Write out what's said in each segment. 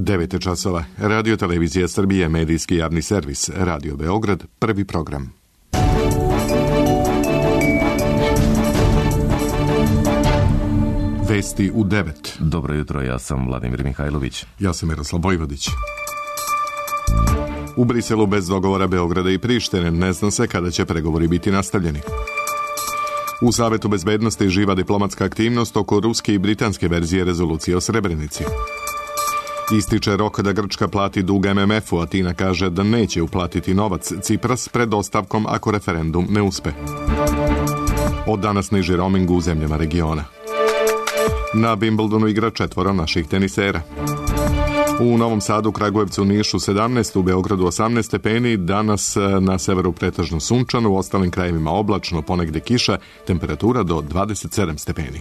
9 časova. Radio Televizija Srbije, medijski javni servis. Radio Beograd, prvi program. Vesti u 9. Dobro jutro, ja sam Vladimir Mihajlović. Ja sam Miroslav Vojvodić. U Briselu bez dogovora Beograda i Prištine, ne zna se kada će pregovori biti nastavljeni. U Savetu bezbednosti živa diplomatska aktivnost oko ruske i britanske verzije rezolucije o Srebrenici. Ističe rok da Grčka plati dug MMF-u, a Tina kaže da neće uplatiti novac Cipras pred ostavkom ako referendum ne uspe. Od danas niži roaming u zemljama regiona. Na Wimbledonu igra 4 naših tenisera. U Novom Sadu, Kragujevcu, Nišu 17, u Beogradu 18 stepeni, danas na severu pretežno sunčano, u ostalim krajevima oblačno, ponegde kiša, temperatura do 27 stepeni.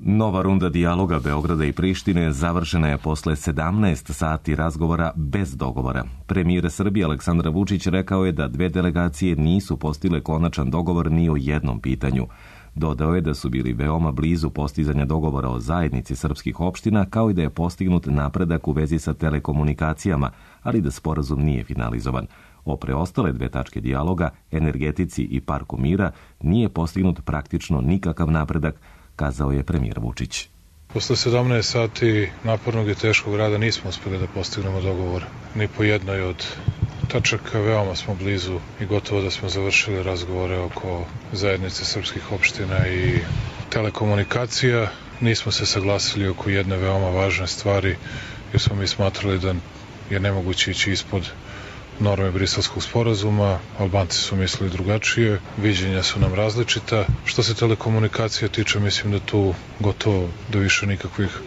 Nova runda dijaloga Beograda i Prištine završena je posle 17 sati razgovora bez dogovora. Premijer Srbije Aleksandar Vučić rekao je da dve delegacije nisu postigle konačan dogovor ni o jednom pitanju. Dodao je da su bili veoma blizu postizanja dogovora o zajednici srpskih opština, kao i da je postignut napredak u vezi sa telekomunikacijama, ali da sporazum nije finalizovan. O preostale dve tačke dijaloga, energetici i parku mira, nije postignut praktično nikakav napredak, kazao je premijer Vučić. Posle 17 sati napornog i teškog rada nismo uspeli da postignemo dogovor ni po jednoj od tačaka. Veoma smo blizu i gotovo da smo završili razgovore oko zajednice srpskih opština i telekomunikacija. Nismo se saglasili oko jedne veoma važne stvari, jer smo mi smatrali da je nemoguće ići ispod norme Briselskog sporazuma. Albanci su mislili drugačije, viđenja su nam različita. Što se telekomunikacija tiče, mislim da tu gotovo da više nikakvih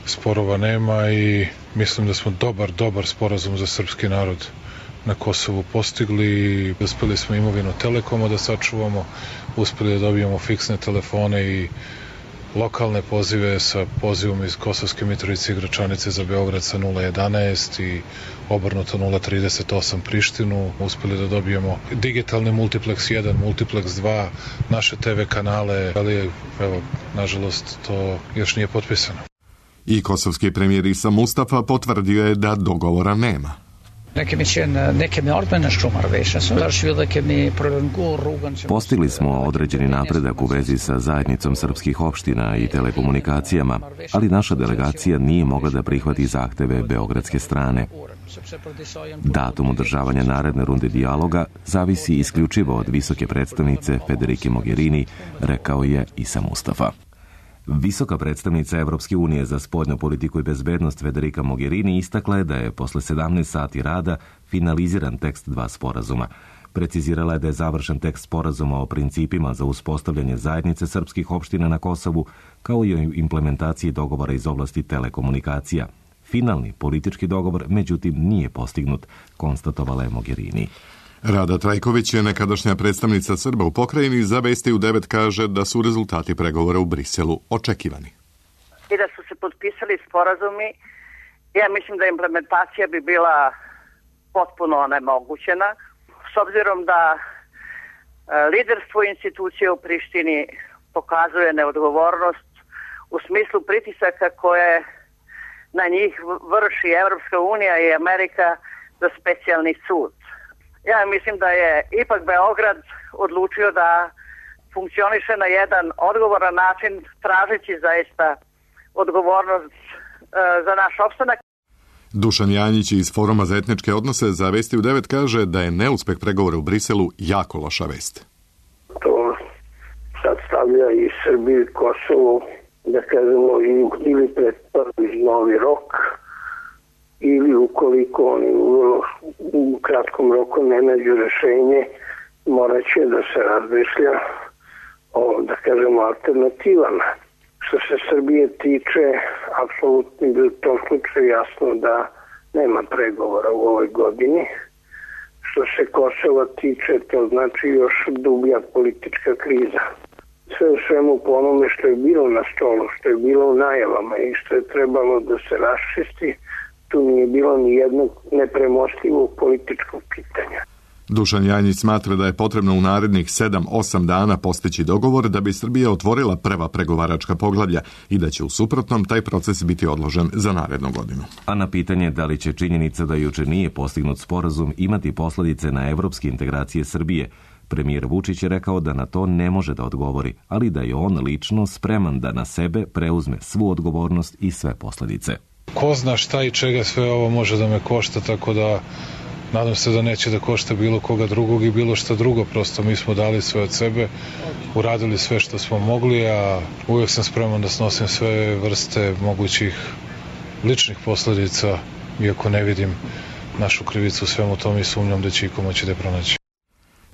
sporova nema i mislim da smo dobar sporazum za srpski narod na Kosovu postigli. Uspeli smo imovinu Telekoma da sačuvamo, uspeli da dobijemo fiksne telefone i lokalne pozive sa pozivom iz Kosovske Mitrovice i Gračanice za Beograd sa 011 i obrnuto 038 Prištinu. Uspeli da dobijemo digitalni multiplex 1, multiplex 2, naše TV kanale, ali evo, nažalost, to još nije potpisano. I kosovski premijer Isa Mustafa potvrdio je da dogovora nema. Postigli smo određeni napredak u vezi sa zajednicom srpskih opština i telekomunikacijama, ali naša delegacija nije mogla da prihvati zahteve beogradske strane. Datum održavanja naredne runde dijaloga zavisi isključivo od visoke predstavnice Federike Mogherini, rekao je Isa Mustafa. Visoka predstavnica Evropske unije za spoljnu politiku i bezbednost Federika Mogherini istakla je da je posle 17 sati rada finaliziran tekst dva sporazuma. Precizirala je da je završen tekst sporazuma o principima za uspostavljanje zajednice srpskih opština na Kosovu, kao i o implementaciji dogovora iz oblasti telekomunikacija. Finalni politički dogovor, međutim, nije postignut, konstatovala je Mogherini. Rada Trajković je nekadašnja predstavnica Srba u pokrajini, za Vesti u 9 kaže da su rezultati pregovora u Briselu očekivani. I da su se potpisali sporazumi, ja mislim da implementacija bi bila potpuno onemogućena, s obzirom da liderstvo institucije u Prištini pokazuje neodgovornost u smislu pritisaka koje na njih vrši Evropska unija i Amerika za specijalni sud. Ja mislim da je ipak Beograd odlučio da funkcioniše na jedan odgovoran način, tražeći zaista odgovornost za naš opstanak. Dušan Janjić iz Foruma za etničke odnose za Vesti u 9 kaže da je neuspeh pregovora u Briselu jako loša vest. To sad stavlja i Srbiju i Kosovo, da kažemo, ili pred prvi novi rok, ili ukoliko oni u kratkom roku ne nađu rešenje, morat će da se razmišlja o, da kažemo, alternativama. Što se Srbije tiče, apsolutno je u tom slučaju jasno da nema pregovora u ovoj godini. Što se Kosova tiče, to znači još dublja politička kriza. Sve u svemu po onome što je bilo na stolu, što je bilo u najavama i što je trebalo da se raščisti, tu nije bilo ni jednog nepremostivog političkog pitanja. Dušan Janjić smatra da je potrebno u narednih 7-8 dana postići dogovor da bi Srbija otvorila prva pregovaračka poglavlja i da će u suprotnom taj proces biti odložen za narednu godinu. A na pitanje da li će činjenica da juče nije postignut sporazum imati posljedice na evropske integracije Srbije, premijer Vučić je rekao da na to ne može da odgovori, ali da je on lično spreman da na sebe preuzme svu odgovornost i sve posljedice. Ko zna šta i čega sve ovo može da me košta, tako da nadam se da neće da košta bilo koga drugog i bilo šta drugo. Prosto mi smo dali sve od sebe, uradili sve što smo mogli, a uvijek sam spreman da snosim sve vrste mogućih ličnih posljedica, iako ne vidim našu krivicu u svemu tom i sumnjam da će iko moći da pronaći.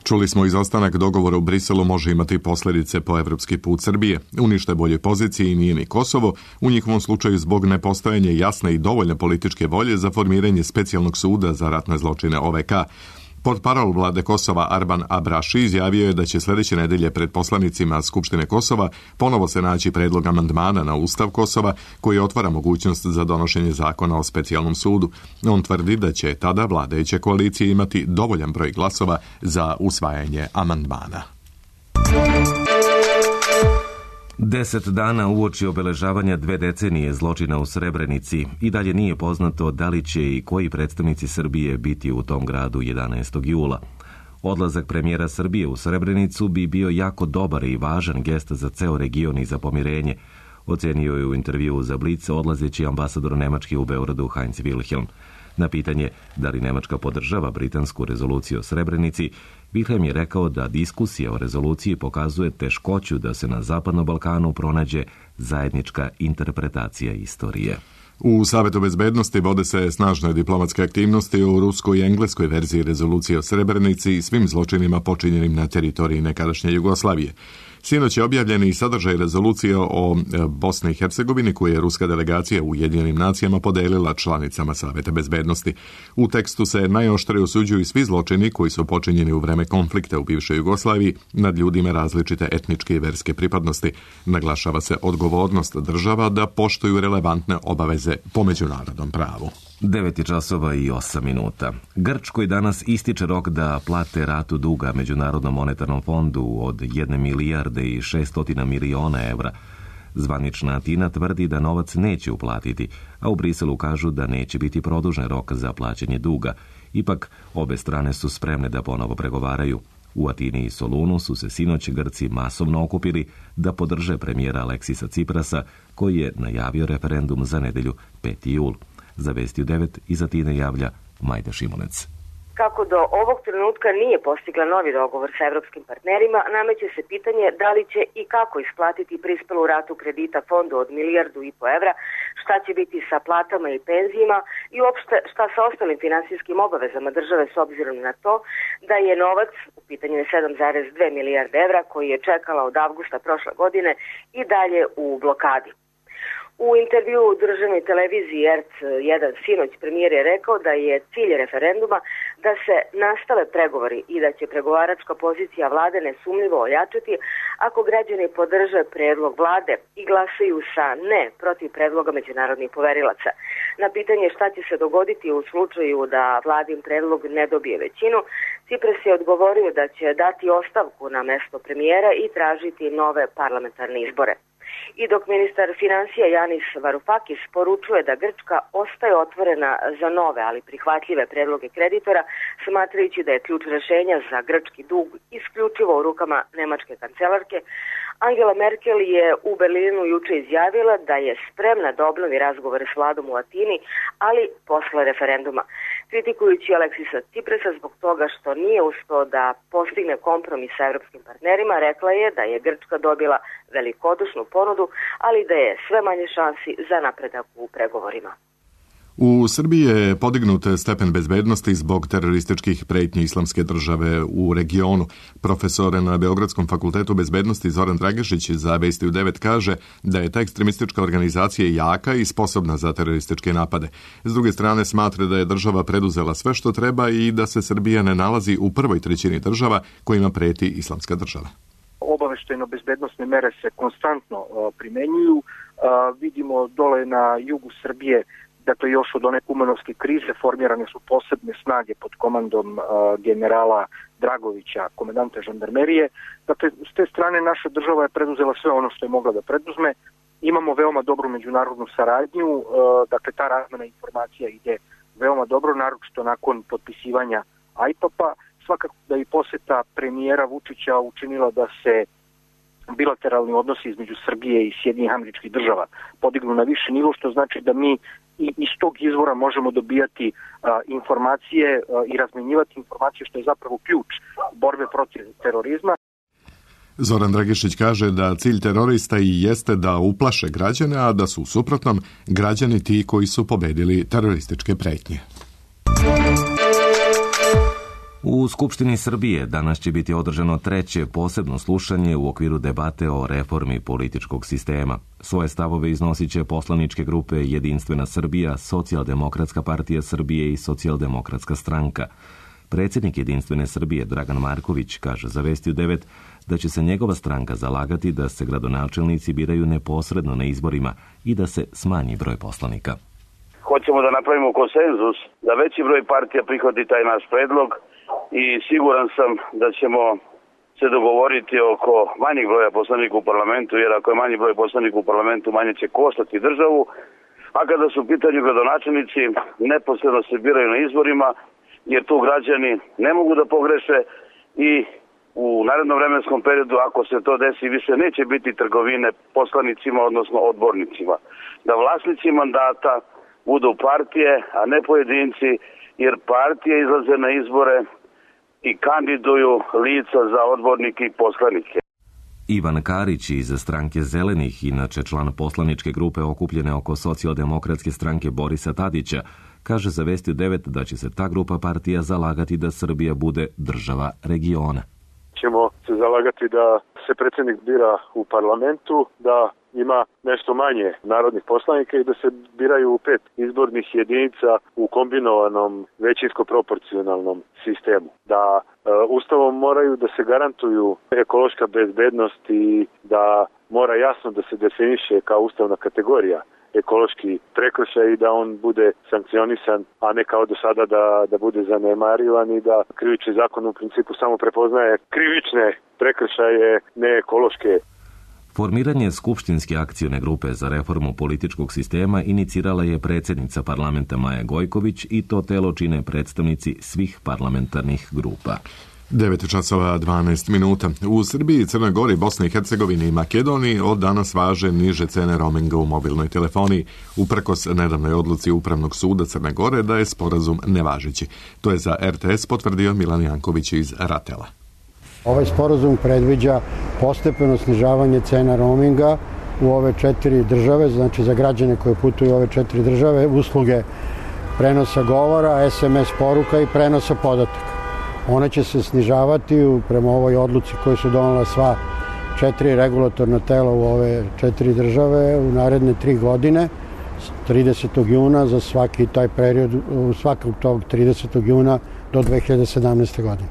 Čuli smo, izostanak dogovora u Briselu može imati posljedice po evropski put Srbije. U ništa boljoj poziciji nije ni Kosovo, u njihovom slučaju zbog nepostojanja jasne i dovoljne političke volje za formiranje specijalnog suda za ratne zločine OVK. Portparol vlade Kosova Arban Abraši izjavio je da će sljedeće nedelje pred poslanicima Skupštine Kosova ponovo se naći predlog amandmana na Ustav Kosova koji otvara mogućnost za donošenje zakona o specijalnom sudu. On tvrdi da će tada vladajuće koalicije imati dovoljan broj glasova za usvajanje amandmana. 10 dana uoči obeležavanja 2 decenije zločina u Srebrenici i dalje nije poznato da li će i koji predstavnici Srbije biti u tom gradu 11. jula. Odlazak premijera Srbije u Srebrenicu bi bio jako dobar i važan gest za ceo region i za pomirenje, ocenio je u intervjuu za Blic odlazeći ambasador Nemačke u Beogradu Heinz Wilhelm. Na pitanje da li Nemačka podržava britansku rezoluciju o Srebrenici, Wilhelm je rekao da diskusija o rezoluciji pokazuje teškoću da se na Zapadnom Balkanu pronađe zajednička interpretacija istorije. U Savetu bezbednosti vode se snažne diplomatske aktivnosti u ruskoj i engleskoj verziji rezolucije o Srebrenici i svim zločinima počinjenim na teritoriji nekadašnje Jugoslavije. Sinoć je objavljen i sadržaj rezolucije o Bosni i Hercegovini koju je ruska delegacija u Ujedinjenim nacijama podelila članicama Saveta bezbednosti. U tekstu se najoštrije osuđuju svi zločini koji su počinjeni u vreme konflikta u bivšoj Jugoslaviji nad ljudima različite etničke i verske pripadnosti. Naglašava se odgovornost država da poštuju relevantne obaveze po međunarodnom pravu. 9:08. Grčkoj danas ističe rok da plate ratu duga Međunarodnom monetarnom fondu od 1 milijarde i 600 miliona evra. Zvanična Atina tvrdi da novac neće uplatiti, a u Briselu kažu da neće biti produžen rok za plaćanje duga. Ipak, obe strane su spremne da ponovo pregovaraju. U Atini i Solunu su se sinoć Grci masovno okupili da podrže premijera Aleksisa Ciprasa, koji je najavio referendum za nedelju 5. jul. Za Vesti u 9 iz Atine javlja Majda Šimunec. Kako do ovog trenutka nije postigla novi dogovor sa evropskim partnerima, nameće se pitanje da li će i kako isplatiti prispelu ratu kredita fondu od 1,5 milijardu evra, šta će biti sa platama i penzijima i uopšte šta sa ostalim finansijskim obavezama države s obzirom na to da je novac, u pitanju je 7,2 milijarde evra, koji je čekala od avgusta prošle godine i dalje u blokadi. U intervju u državnoj televiziji RT1 sinoć premijer je rekao da je cilj referenduma da se nastave pregovori i da će pregovaračka pozicija vlade nesumnjivo ojačati ako građani podrže predlog vlade i glasaju sa ne protiv predloga međunarodnih poverilaca. Na pitanje šta će se dogoditi u slučaju da vladin predlog ne dobije većinu, Cipras je odgovorio da će dati ostavku na mesto premijera i tražiti nove parlamentarne izbore. I dok ministar financija Janis Varoufakis poručuje da Grčka ostaje otvorena za nove, ali prihvatljive predloge kreditora, smatrajući da je ključ rešenja za grčki dug isključivo u rukama nemačke kancelarke, Angela Merkel je u Berlinu juče izjavila da je spremna da obnovi razgovore s vladom u Atini, ali posle referenduma. Kritikujući Aleksisa Ciprasa zbog toga što nije uspeo da postigne kompromis sa evropskim partnerima, rekla je da je Grčka dobila velikodušnu ponudu, ali da je sve manje šansi za napredak u pregovorima. U Srbiji je podignut stepen bezbednosti zbog terorističkih pretnji Islamske države u regionu. Profesor na Beogradskom fakultetu bezbednosti Zoran Dragišić za Vesti u 9 kaže da je ta ekstremistička organizacija jaka i sposobna za terorističke napade. S druge strane smatra da je država preduzela sve što treba i da se Srbija ne nalazi u prvoj trećini država kojima preti Islamska država. Obaveštajno-bezbednosne mere se konstantno primenjuju. Vidimo dole na jugu Srbije dakle još od one kumanovske krize formirane su posebne snage pod komandom generala Dragovića, komandanta žandarmerije. Dakle, s te strane naša država je preduzela sve ono što je mogla da preduzme. Imamo veoma dobru međunarodnu saradnju, dakle ta razmena informacija ide veoma dobro, naročito nakon potpisivanja IPAP-a. Svakako da i poseta premijera Vučića učinila da se bilateralni odnosi između Srbije i Sjedinjenih Američkih Država podignu na viši nivo, što znači da mi iz tog izvora možemo dobijati informacije i razmenjivati informacije, što je zapravo ključ borbe protiv terorizma. Zoran Dragišić kaže da cilj terorista i jeste da uplaše građane, a da su u suprotnom građani ti koji su pobedili terorističke pretnje. U Skupštini Srbije danas će biti održano treće posebno slušanje u okviru debate o reformi političkog sistema. Svoje stavove iznosit će poslaničke grupe Jedinstvena Srbija, Socijaldemokratska partija Srbije i Socijaldemokratska stranka. Predsjednik Jedinstvene Srbije Dragan Marković kaže za Vesti u 9 da će se njegova stranka zalagati da se gradonačelnici biraju neposredno na izborima i da se smanji broj poslanika. Hoćemo da napravimo konsenzus, da veći broj partija prihvati taj naš predlog i siguran sam da ćemo se dogovoriti oko manjeg broja poslanika u parlamentu, jer ako je manji broj poslanika u parlamentu, manje će koštati državu, a kada su u pitanju gradonačelnici, neposredno se biraju na izborima, jer tu građani ne mogu da pogreše i u narednom vremenskom periodu, ako se to desi, više neće biti trgovine poslanicima, odnosno odbornicima. Da vlasnici mandata budu partije, a ne pojedinci, jer partije izlaze na izbore i kandiduju lica za odbornike i poslanike. Ivan Karić iz stranke Zelenih, inače član poslaničke grupe okupljene oko Socijaldemokratske stranke Borisa Tadića, kaže za Vesti u 9 da će se ta grupa partija zalagati da Srbija bude država regiona. Ćemo se zalagati da se predsjednik bira u parlamentu, da ima nešto manje narodnih poslanika i da se biraju u 5 izbornih jedinica u kombinovanom većinsko-proporcionalnom sistemu. Da Ustavom moraju da se garantuju ekološka bezbednost i da mora jasno da se definiše kao ustavna kategorija ekološki prekršaj i da on bude sankcionisan, a ne kao do sada da bude zanemarivan i da krivični zakon u principu samo prepoznaje krivične prekršaje, ne ekološke. Formiranje Skupštinske akcione grupe za reformu političkog sistema inicirala je predsjednica parlamenta Maja Gojković i to telo čine predstavnici svih parlamentarnih grupa. 9:12. U Srbiji, Crnoj Gori, Bosni i Hercegovini i Makedoniji od danas važe niže cene roaminga u mobilnoj telefoniji, uprkos nedavnoj odluci Upravnog suda Crne Gore da je sporazum nevažeći. To je za RTS potvrdio Milan Janković iz Ratela. Ovaj sporazum predviđa postepeno snižavanje cena roaminga u ove 4 države, znači za građane koje putuju u ove 4 države, usluge prenosa govora, SMS poruka i prenosa podataka. One će se snižavati prema ovoj odluci koju su donela sva 4 regulatorna tela u ove 4 države u naredne 3 godine, 30. juna za svaki taj period, svakog tog 30. juna do 2017. godine.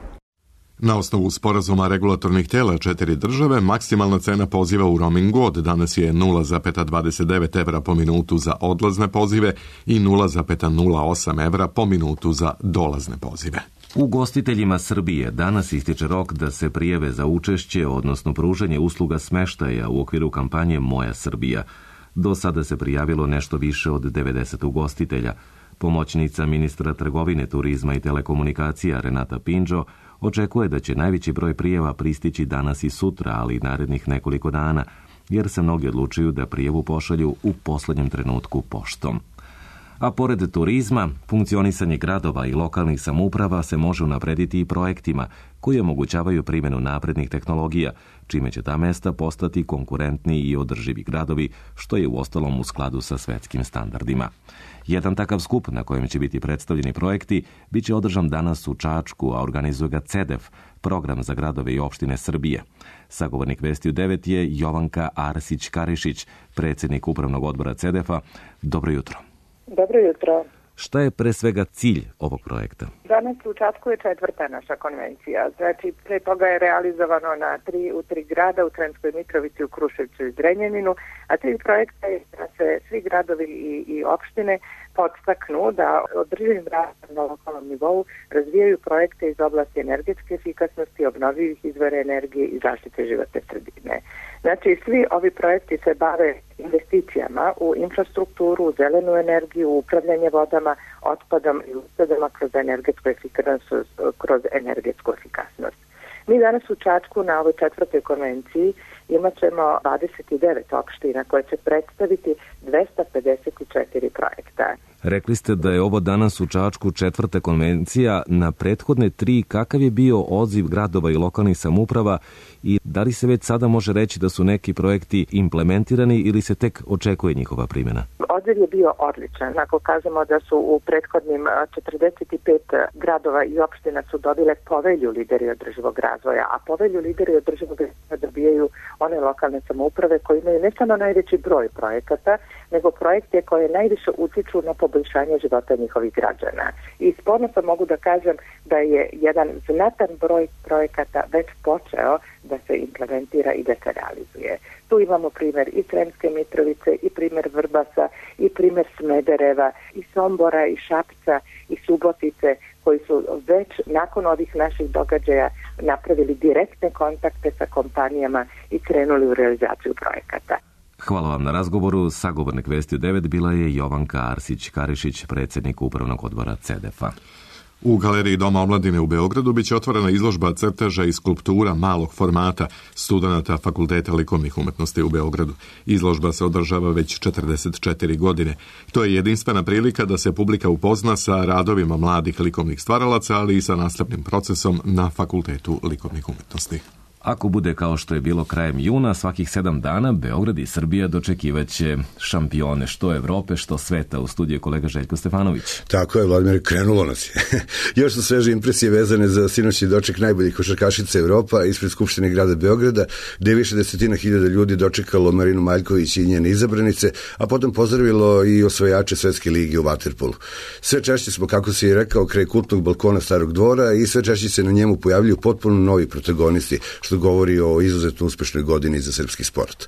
Na osnovu sporazuma regulatornih tela 4 države, maksimalna cena poziva u roamingu od danas je 0,29 evra po minutu za odlazne pozive i 0,08 evra po minutu za dolazne pozive. Ugostiteljima Srbije danas ističe rok da se prijave za učešće, odnosno pružanje usluga smeštaja u okviru kampanje Moja Srbija. Do sada se prijavilo nešto više od 90 ugostitelja. Pomoćnica ministra trgovine, turizma i telekomunikacija Renata Pinđo očekuje da će najveći broj prijava pristići danas i sutra, ali i narednih nekoliko dana, jer se mnogi odlučuju da prijavu pošalju u posljednjem trenutku poštom. A pored turizma, funkcionisanje gradova i lokalnih samouprava se može unaprediti i projektima koji omogućavaju primjenu naprednih tehnologija, čime će ta mesta postati konkurentni i održivi gradovi, što je uostalom u skladu sa svetskim standardima. Jedan takav skup na kojem će biti predstavljeni projekti bit će održan danas u Čačku, a organizuje ga CEDEF, program za gradove i opštine Srbije. Sagovornik Vesti u 9 je Jovanka Arsić-Karišić, predsjednik upravnog odbora CEDEF-a. Dobro jutro. Dobro jutro. Šta je pre svega cilj ovog projekta? Danas u Čačku je 4. naša konvencija. Znači, pre toga je realizovano u 3 grada, u Sremskoj Mitrovici, u Kruševcu i Zrenjaninu, a cilj projekta je da se svi gradovi i opštine podstaknu da održivim rastom na lokalnom nivou razvijaju projekte iz oblasti energetske efikasnosti, obnovljivih izvora energije i zaštite životne sredine. Znači, svi ovi projekti se bave investicijama u infrastrukturu, u zelenu energiju, u upravljanje vodama, otpadom i uštedama kroz energetsku efikasnost. Mi danas u Čačku na ovoj 4. konvenciji imat ćemo 29 opština koje će predstaviti 254 projekta. Rekli ste da je ovo danas u Čačku 4. konvencija. Na prethodne 3 kakav je bio odziv gradova i lokalnih samouprava i da li se već sada može reći da su neki projekti implementirani ili se tek očekuje njihova primjena? Odziv je bio odličan. Ako kažemo da su u prethodnim 45 gradova i opština su dobile povelju lideri održivog razvoja, a povelju lideri održivog razvoja dobijaju one lokalne samouprave koji imaju ne samo najveći broj projekata, nego projekte koje najviše utiču na poboljšanje života njihovih građana. I s ponosom mogu da kažem da je jedan znatan broj projekata već počeo da se implementira i da se realizuje. Tu imamo primjer i Sremske Mitrovice, i primjer Vrbasa, i primjer Smedereva, i Sombora, i Šapca, i Subotice, koji su već nakon ovih naših događaja napravili direktne kontakte sa kompanijama i krenuli u realizaciju projekata. Hvala vam na razgovoru. Sagovornik Vesti u 9 bila je Jovanka Arsić-Karišić, predsjednik Upravnog odbora CEDEF-a. U Galeriji Doma omladine u Beogradu biće otvorena izložba crteža i skulptura malog formata studenata Fakulteta likovnih umetnosti u Beogradu. Izložba se održava već 44 godine. To je jedinstvena prilika da se publika upozna sa radovima mladih likovnih stvaralaca, ali i sa nastavnim procesom na Fakultetu likovnih umetnosti. Ako bude kao što je bilo krajem juna, svakih 7 dana Beograd i Srbija dočekivaće šampione što Evrope, što sveta. U studiju kolega Željko Stefanović. Tako je, Vladimir, krenulo nas je. Još su sveže impresije vezane za sinoćni doček najboljih košarkašica Evropa ispred Skupštine grada Beograda, gde je više desetina hiljada ljudi dočekalo Marinu Maljković i njene izabranice, a potom pozdravilo i osvajače Svetske lige u vaterpolu. Sve češće smo, kako se i rekao, kraj kultnog balkona Starog dvora i sve češće se na njemu pojavljuju potpuno novi protagonisti, što govori o izuzetno uspešnoj godini za srpski sport.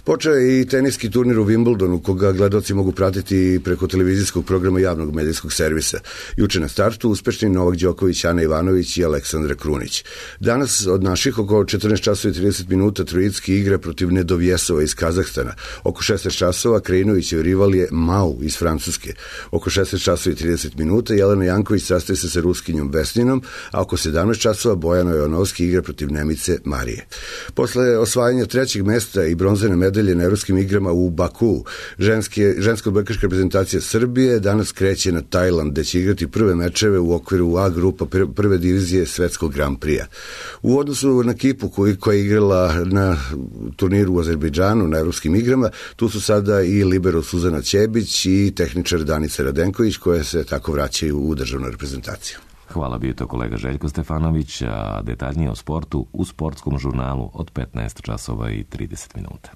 Počeo je i teniski turnir u Wimbledonu, koga gledaoci mogu pratiti preko televizijskog programa javnog medijskog servisa. Juče na startu uspešni Novak Đoković, Ana Ivanović i Aleksandra Krunić. Danas od naših oko 14 časova i 30 minuta Trojicki igra protiv Nedovjesova iz Kazahstana. Oko 16 časova Krajinovićev rival je Mau iz Francuske. Oko 16 časova i 30 minuta Jelena Janković sastaje se sa Ruskinjom Vesninom, a oko 17 časova Bojano Jonovski igra protiv Nemice Marije. Posle osvajanja 3. mesta i bronzane medalje na Evropskim igrama u Baku, ženska odbojkaška reprezentacija Srbije danas kreće na Tajland, gde će igrati prve mečeve u okviru A grupa prve divizije Svetskog Grand Prix-a. U odnosu na Kipu koja je igrala na turniru u Azerbejdžanu na Evropskim igrama, tu su sada i libero Suzana Ćebić i tehničar Danica Radenković, koje se tako vraćaju u državnu reprezentaciju. Hvala, bio to kolega Željko Stefanović, a detaljnije o sportu u sportskom žurnalu od 15 časova i 30 minuta.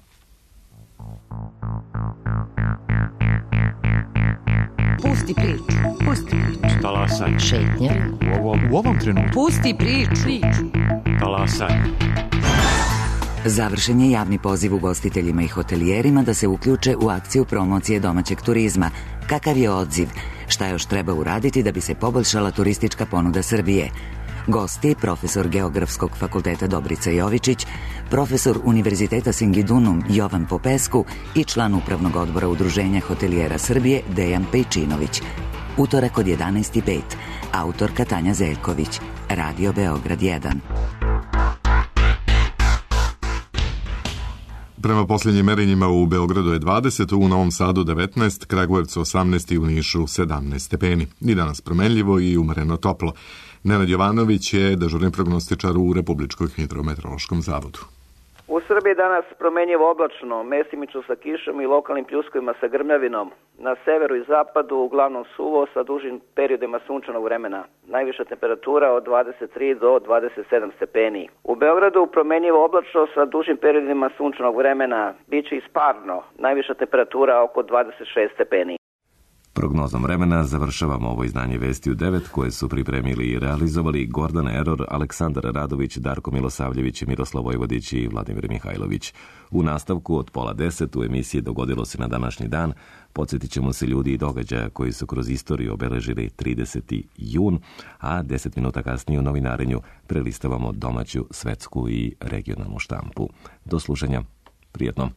Pusti priču. Pusti priču. Talasaj. Šetnja. U ovom trenutku. Pusti priču. Talasaj. Završen je javni poziv ugostiteljima i hotelijerima da se uključe u akciju promocije domaćeg turizma. Kakav je odziv? Šta još treba uraditi da bi se poboljšala turistička ponuda Srbije? Gosti, profesor Geografskog fakulteta Dobrica Jovičić, profesor Univerziteta Singidunum Jovan Popesku i član Upravnog odbora Udruženja hotelijera Srbije Dejan Pejčinović. Utorak od 11:05. Autorka Tanja Zeljković. Radio Beograd 1. Prema posljednjim merenjima u Beogradu je 20, u Novom Sadu 19, Kragujevcu 18 i u Nišu 17 stepeni. I danas promenljivo i umereno toplo. Nenad Jovanović je dežurni prognostičar u Republičkom hidrometeorološkom zavodu. U Srbiji danas promenljivo oblačno, mesimično sa kišom i lokalnim pljuskovima sa grmljavinom. Na severu i zapadu uglavnom suvo sa dužim periodima sunčanog vremena. Najviša temperatura od 23 do 27 stepeni. U Beogradu promenljivo oblačno sa dužim periodima sunčanog vremena. Biće isparno. Najviša temperatura oko 26 stepeni. Prognozom vremena završavamo ovo izdanje Vesti u 9 koje su pripremili i realizovali Gordana Eror, Aleksandar Radović, Darko Milosavljević, Miroslav Vojvodić i Vladimir Mihajlović. U nastavku od 9:30 u emisiji Dogodilo se na današnji dan podsjetit ćemo se ljudi i događaja koji su kroz istoriju obeležili 30. jun, a 10 minuta kasnije u novinarenju prelistavamo domaću, svetsku i regionalnu štampu. Do slušanja. Prijetno.